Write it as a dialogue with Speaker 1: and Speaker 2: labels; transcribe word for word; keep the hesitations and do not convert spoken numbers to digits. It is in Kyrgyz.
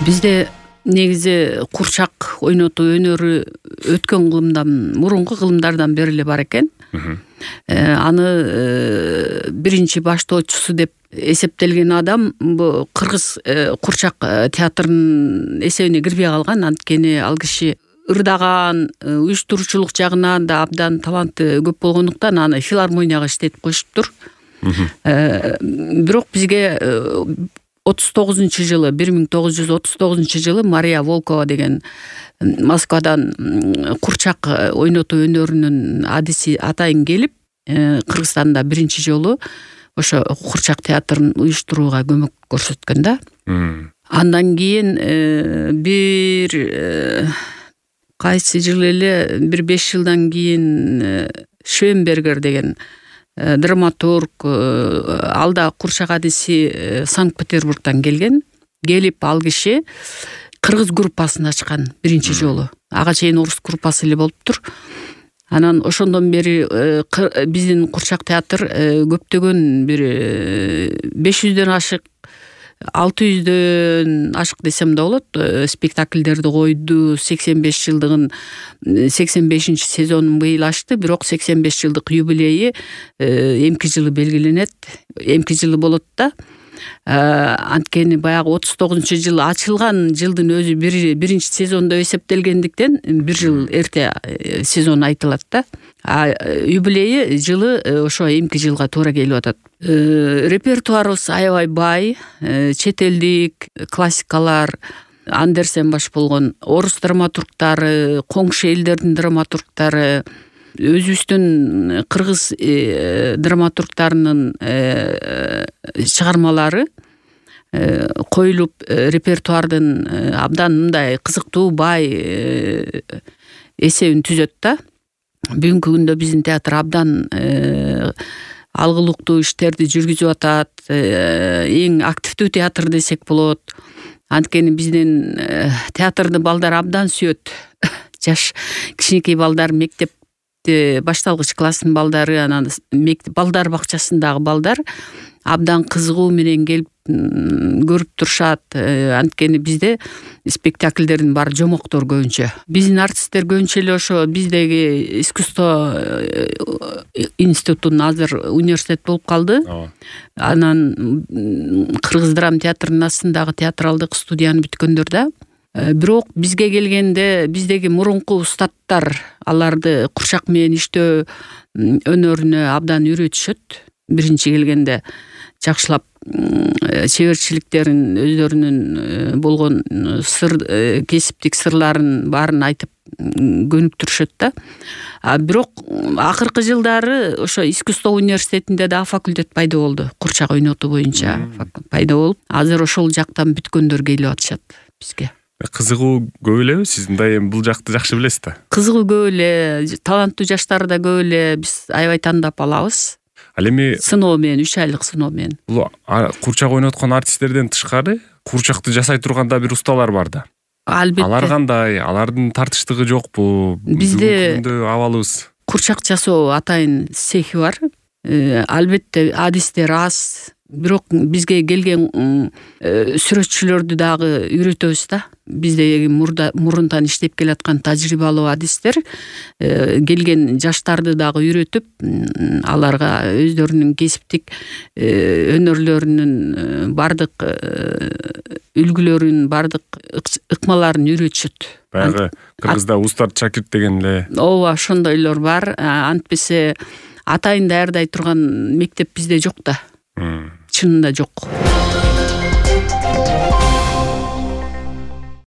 Speaker 1: Бизде негизи курчак ойнотуу өнөрү өткөн кылымдан, мурунку кылымдардан бери эле бар экен. Аны биринчи баштоочусу деп эсептелген адам бу кыргыз курчак театрынын эсебине кирбей калган. Анткени ал киши ырдаган, уюштуруучулук жагынан да абдан таланты көп болгондуктан аны филармонияга иштетип коюшуптур. Бирок бизге отуз тогузунчу жылы бир миң тогуз жүз отуз тогузунчу жылы Мария Волкова деген Москвадан курчак ойнотуу өнөрүнүн адиси атайын келип, Кыргызстанда биринчи жолу ошо курчак театрын уюштурууга көмөк көрсөткөн да. Андан кийин бир кайсы жылы эле бир беш жылдан кийин Швенбергер деген драматург, ал да курчак адиси Санкт-Петербургдан келген. Келип ал киши кыргыз группасын ачкан биринчи жолу. Ага чейин орус группасы эле болуптур. Анан ошондон бери биздин курчак театр көптөгөн бир беш жүздөн ашык, алты жүздөн ашык десем да болот, спектакльдерди койду. сексен беш жылдыгын сексен бешинчи сезонун быйыл ачты, бирок сексен беш жылдык юбилейи эмки жылы белгиленет. Эмки жылы болот да. Анткени баягы отуз тогузунчу жылы ачылган жылдын өзү биринчи сезондо эсептелгендиктен бир жыл эрте сезон айтылат да. А юбилейи жылы ошо эмки жылга туура келип атат. Репертуарыбыз аябай бай, чет элдик классикалар, Андерсен баш болгон орус драматургтары, коңшу элдердин драматургтары, өзүбүздүн кыргыз драматургтарынын чыгармалары коюлуп, репертуардын абдан мындай кызыктуу, бай эсебин түзөт да. Бүгүнкү күндө биздин театр абдан алгылыктуу иштерди жүргүзүп атат. Эң активдүү театр десек болот. Анткени биздин театрды балдар абдан сүйөт. Жаш кичинекей балдар, мектеп башталгыч класстын балдары, анан балдар бакчасындагы балдар абдан кызыгуу менен келип көрүп турушат. Анткени бизде спектакльдердин баары жомоктор көбүнчө. Биздин артисттер көбүнчө эле ошо биздеги искусство институтунун азыр университет болуп калды. Анан Кыргыз драма театрынын астындагы театралдык студияны бүткөндөр да. Бирок бизге келгенде биздеги мурунку устаттар аларды курчак менен иштөө өнөрүнө абдан үйрөтүшөт. Биринчи келгенде жакшылап чеберчиликтерин, өздөрүнүн болгон сыр, кесиптик сырларын баарын айтып көнүктүрүшөт да. Бирок акыркы жылдары ошо искусство университетинде да факультет пайда болду. Курчак ойнотуу боюнча пайда болуп, азыр ошол жактан бүткөндөр келип атышат бизге.
Speaker 2: Кызыгуу көп элеби? Сиз мындай эми бул жакты жакшы билесиз да?
Speaker 1: Кызыгуу көп эле, таланттуу жаштар да көп эле, биз аябай тандап алабыз.
Speaker 2: Ал эми
Speaker 1: сыноо менен, үч айлык сыноо менен.
Speaker 2: Бул курчак ойноткон артисттерден тышкары курчакты жасай турганда бир усталар бар да.
Speaker 1: Албетте.
Speaker 2: Алар кандай? Алардын тартыштыгы жокпу?
Speaker 1: Бизде
Speaker 2: абалыбыз
Speaker 1: курчак жасоо атайын цехи бар. Албетте адистер аз. Бирок бизге келген сүрөтчүлөрдү дагы үйрөтөбүз да. Бизде мурунтан иштеп келаткан тажрыйбалуу адистер келген жаштарды дагы үйрөтүп, аларга өздөрүнүн кесиптик өнөрлөрүнүн бардык үлгүлөрүн, бардык ыкмаларын үйрөтүшөт.
Speaker 2: Баягы Кыргызда устат шакирт деген эле.
Speaker 1: Ооба, ошондойлор бар. Антпесе атайын даярдай турган мектеп бизде жок да. Чынында жок.